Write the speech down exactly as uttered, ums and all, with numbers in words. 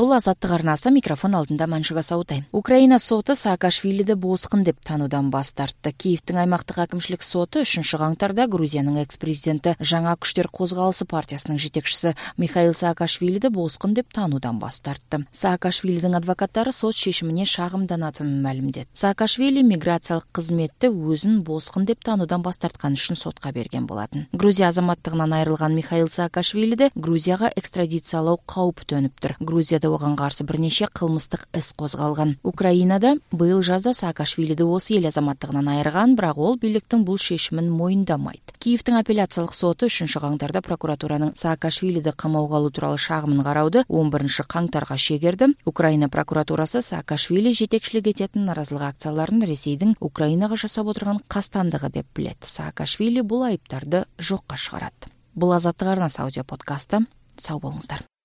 Бул Азаттык арнасы, микрофон алдында Маншуга Саутай. Украина соту Саакашвилиди босқын деп таануудан баш тартты. Киевдин аймактык акимчилик соту үчүнчү каңтарда Грузиянын экс-президенти Жаңа күчтөр козголуусу партиясынын жетекчиси Михаил Саакашвилиди босқын деп таануудан баш тартты. Саакашвилидин адвокаттары сот чечимине шагымданатынын маалимдеди. Саакашвили миграциялык кызметте өзүн босқын деп таануудан баш тарткан үчүн сотко берген болатын. Грузия азаматтыгынан айрылган Михаил Саакашвилиди Грузияга экстрадициялоо кауп төнүптүр. Грузия ого каршы бир нече кылмыстык ис козголган. Украинада быйыл жазда Саакашвилиди осы эл азаматтыгынан айырган, бирок ол бийликтин бул чечимин моюндамайт. Киевдин апелляциялык соту үчүнчү каңтарда прокуратуранын Саакашвилиди камауга алуу тууралуу шагымын карауды он биринчи каңтарга шегерди. Украина прокуратурасы Саакашвили жетекчилик этетін наразылык акцияларын Ресейдин Украинага жасап отурган кастандыгы деп билет. Саакашвили бул айыптарды жокко чыгарат. Бул Азаттык арнасы аудио подкасты. Сау болуңуздар.